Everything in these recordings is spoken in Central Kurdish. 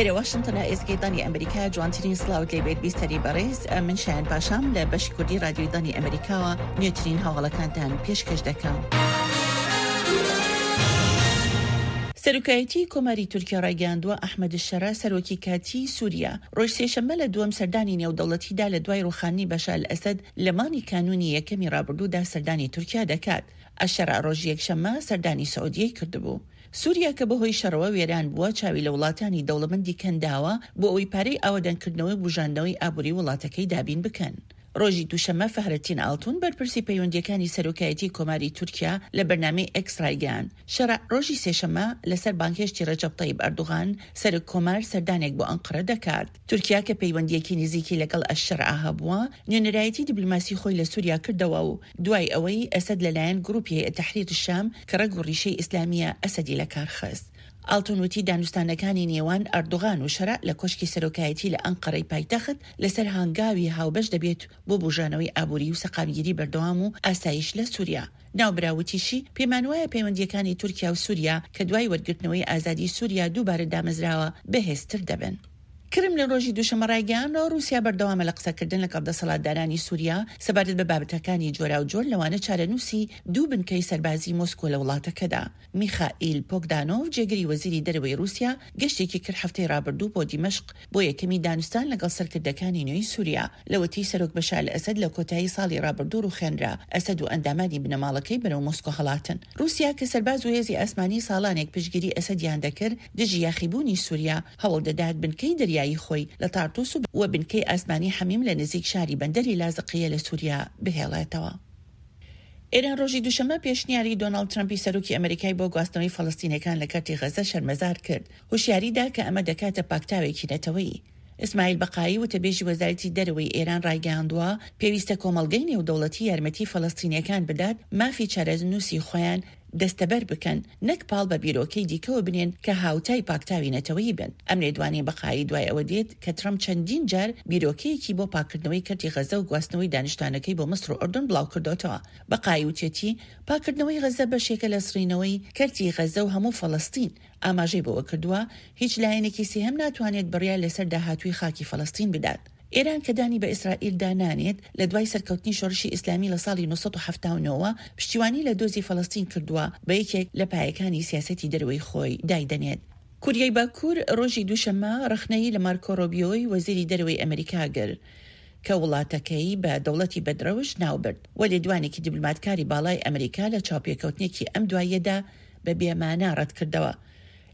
ئێرە واشنتنە ئێزگەی دەنگی ئەمریکا جوانترین سڵاوت لێ بێت بیستەری بەڕێز من شایان پاشام لە بەشی کوردی رادیۆی دەنگی ئەمریکاوە نوێترین هەواڵەکانتان پێشکەش دەکەم. سەرۆکایەتیی کۆماری تورکیا ڕایگەیاندووە، ئەحمەد شەرع، سەرۆکی کاتیی سووریا، ڕۆژی سێشەممە لە دووەم سەردانی نێودەوڵەتیدا لە دوای ڕووخاندنی بەشار ئەسەد لە مانگی کانوونی یەکەمی ڕابردوودا سەردانی تورکیا دەکات. ئەشەرع ڕۆژی یەکشەممە سەردانی سعودیەی کردبوو. سووریا کە بەهۆی شەڕەوە وێران بووە، چاوی لە وڵاتانی دەوڵەمەندی کەنداوە بۆ ئەوەی پارەی ئاوەدانکردنەوەی و بوژاندنەوەی ئابووری وڵاتەکەی دابین بکەن. ڕۆژی دووشەممە فەهرەتین ئاڵتون، بەرپرسی پەیوەندییەکانی سەرۆکایەتیی کۆماری تورکیا لە بەرنامەی ئێکس ڕایگەیاند، شەرع ڕۆژی سێشەممە لەسەر بانگهێشتی ڕەجەب تەیب ئەردوغان، سەرۆک کۆمار سەردانێک بۆ ئەنقەرە دەکات. تورکیا کە پەیوەندییەکی نزیکی لەگەڵ ئەلشەرع هەبووە، نوێنەرایەتی دیبلۆماسی خۆی لە سوریا کردەوە و دوای ئەوەی ئەسەد لەلایەن گروپی هەیئە تەحریر شام کە ڕەگ و ڕیشەی ئیسلامییە ئەسەدی لەکارخست. ئاڵتون وتی دانوستانەکانی نێوان ئەردوغان و شەرع لە کۆشکی سەرۆکایەتی لە ئەنقەرەی پایتەخت لەسەر هانگاوی هاوبەش دەبێت بۆ بوژانەوەی ئابوری و سەقامگیری بەردەوام و ئاسایش لە سوریا. ناوبراو وتیشی، پێمانوایە پەیوەندییەکانی تورکیا و سوریا کە دوای وەرگرتنەوەی ئازادی سوریا دووبارە دامەزراوە، بەهێزتر دەبن. کرملین ڕۆژی دووشەممە ڕایگەیاند، ڕووسیا بەردەوامە لە قسەکردن لەگەڵ دەسەڵاتدارانی سوریا سەبارەت بە بابەتەکانی جۆراوجۆر لەوانە چارەنووسی دوو بنکەی سەربازی مۆسکۆ لە وڵاتەکەدا. میخائیل پۆگدانۆڤ، جێگری وەزیری دەرەوەی ڕووسیا، گەشتێکی کرد هەفتەی ڕابردوو بۆ دیمەشق بۆ یەکەمی دانوستان لەگەڵ سەرکردەکانی نوێی سووریا، لەوەتەی سەرۆک بەشار ئەسەد لە کۆتایی ساڵی ڕابردوو ڕووخێنرا، ئەسەد و ئەندامانی بنەماڵەکەی بەرەو مۆسکۆ هەڵاتن. ڕووسیا کە سەرباز و هێزی ئاسمانی ساڵانێک پشتگیری ئەسەدیان دەکرد دژی یاخیبوونی سووریا، هەوڵدەدات بنکەی دەریایی خۆی لە تارتوس و بنکەی ئاسمانی حەمیم لە نزیک شاری بەندەری لازقیە لە سووریا بهێڵێتەوە. ئێران ڕۆژی دووشەممە پێشنیاری دۆناڵد ترەمپی سەرۆکی ئەمەریکای بۆ گواستنەوەی فەڵەستینیەکان لە کەرتی غەزە شەرمەزار کرد، هوشیاری دا کە ئەمە دەکاتە پاکتاوێکی نەتەوەیی. ئیسماعیل بەقایی وتەبێژی وەزارەتی دەرەوەی ئێران ڕایگەیاندووە، پێویستە کۆمەڵگەی نێودەوڵەتی یارمەتی فەڵەستینیەکان بدات مافی چارەنووسی خۆیان دەستەبەر بکەن نەک پاڵ بە بیرۆکەی دیکەوە بنێن کە هاوتای پاکتاوی نەتەوەیی بن. ئەم لێدوانەی بەقایی دوای ئەوە دێت کە ترەمپ چەندین جار بیرۆکەیەکی بۆ پاککردنەوەی کەرتی غەزە و گواستنەوەی دانیشتوانەکەی بۆ میسر و ئوردن بڵاوکردۆتەوە. بەقایی وتیەتی، پاککردنەوەی غەزە بەشێکە لە سڕینەوەی کەرتی غەزە و هەموو فەڵەستین. ئاماژەی بەوەکردووە، هیچ لایەنێکی سێهەم ناتوانێت بڕیار لەسەر داهاتووی خاکی فەڵەستین بدات. ئێران کە دانی بە ئیسرائیلدا نانێت، لە دوای سەرکەوتنی شۆڕشی ئیسلامی لە ساڵی 979 وە پشتیوانی لە دۆزی فەڵەستین کردووە، بە یەکێک لە پایەکانی سیاسەتی دەرەوەی خۆی دایدەنێت. کوریای باکوور ڕۆژی دووشەممە ڕەخنەی لە مارکۆ ڕۆبیۆی وەزیری دەرەوەی ئەمریکا گرت کە وڵاتەکەی بە دەوڵەتی بەدڕەوشت ناوبرد و لێدوانێکی دیبلۆماتکاری باڵای ئەمریکا لە چاوپێکەوتنێکی ئەم دواییەدا بە بێمانا ڕەتکردەوە.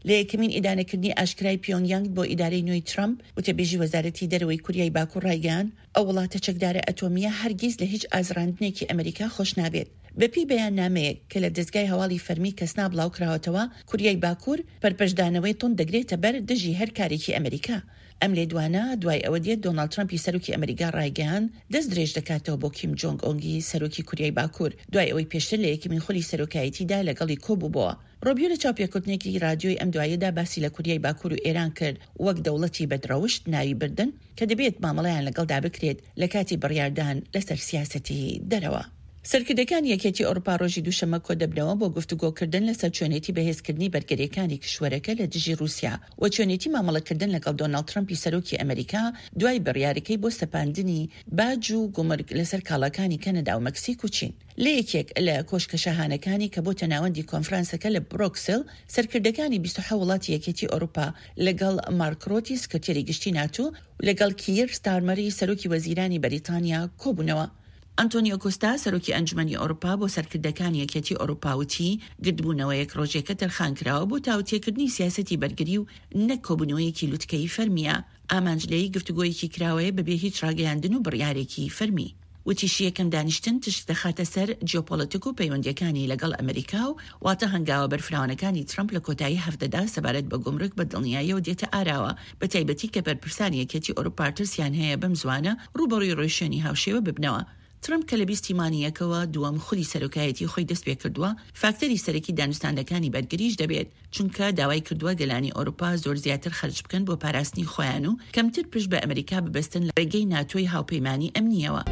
لە یەکەمین ئیدانەکردنی ئاشکرای پیۆنگ یانگ بۆ ئیدارەی نوێی ترەمپ، وتەبێژی وەزارەتی دەرەوەی کوریای باکوور ڕایگەیاند، ئەو وڵاتە چەکدارە ئەتۆمییە هەرگیز لە هیچ ئازڕاندنێکی ئەمریکا خۆش نابێت. بەپێی بەیاننامەیەک کە لە دەزگای هەواڵی فەرمی کەسنا بڵاوکراوەتەوە، کوریای باکوور پەرپەچدانەوەی توند دەگرێتە بەر دژی هەر کارێکی ئەمریکا. ئەم لێدوانە دوای ئەوە دێت دۆناڵد ترەمپی سەرۆکی ئەمریکا ڕایگەیاند، دەست درێژ دەکاتەوە بۆ کیم جۆنگ ئۆنگی سەرۆکی کوریای باکوور، دوای ئەوەی پێشتر لە یەکەمین خولی سەرۆکایەتیدا لەگەڵی کۆبووبۆوە. ڕۆبیۆ لە چاوپێکەوتنێکی ڕادیۆی ئەم دواییەدا باسی لە کوریای باکوور و ئێران کرد وەک دەوڵەتی بەدڕەوشت ناوی بردن کە دەبێت مامەڵەیان لەگەڵدا بکرێت لە کاتی بڕیاردان لەسەر سیاسەتی دەرەوە. سەرکردەکانی یەکێتی ئەوروپا ڕۆژی دووشەممە کۆدەبنەوە بۆ گفتوگۆکردن لەسەر چۆنێتی بەهێزکردنی بەرگرییەکانی کیشوەرەکە لە دژی ڕووسیا و چۆنێتی مامەڵەکردن لەگەڵ دۆناڵد ترەمپی سەرۆکی ئەمریکا دوای بڕیارەکەی بۆ سەپاندنی باج و گومرگ لەسەر کاڵاکانی کەنەدا و مەکسیک و چین. لە یەکێک لە کۆشکە شاهانەکانی کە بۆتە ناوەندی کۆنفرانسەکە لە برۆکسل، سەرکردەکانی 27 وڵاتی یەکێتی ئەوروپا لەگەڵ مارک رۆتی سکرتێری گشتی ناتۆ و لەگەڵ کییر ستارمەری سەرۆکی وەزیرانی بەریتانیا کۆبوونەوە. ئەنتۆنیۆ کۆستا سەرۆکی ئەنجومەنی ئەوروپا بۆ سەرکردەکانی یەکێتی ئەوروپا وتی، گردبوونەوەیەک رۆژێکە تەرخانکراوە بۆ تاوتێکردنی سیاسەتی بەرگری و نەک کۆبوونەوەیەکی لوتکەیی فەرمییە. ئامانج لێی گفتوگۆیەکی کراوەیە بەبێ هیچ راگەیاندن و بڕیارێکی فەرمی. وتیشی یەکەم دانیشتن تشک دەخاتە سەر جیۆپۆڵەتک و پەیوەندییەکانی لەگەڵ ئەمریکا و واتە هەنگاوە بەرفراوانەکانی ترەمپ لە کۆتایی هەفتەدا سەبارەت بە گومرگ بە دڵنیاییەوە دێتە ئاراوە بەتایبەتی کە بەرپرسانی یەکێتی ئەوروپا ترسیان هەیە بەم زووانە ڕووبەڕووی ڕێوشوێنی هاوشێوە ببنەوە. ترەمپ کە لە بیستی مانگی یەکەوە دووەم خولی سەرۆکایەتی خۆی دەستپێکردووە، فاکتەری سەرەکی دانوستاندەکانی بەرگریش دەبێت، چونکە داوای کردووە گەلانی ئەوروپا زۆر زیاتر خەرج بکەن بۆ پاراستنی خۆیان و کەمتر پشت بە ئەمریکا ببەستن لە ڕێگەی ناتۆی هاوپەیمانی ئەمنییەوە.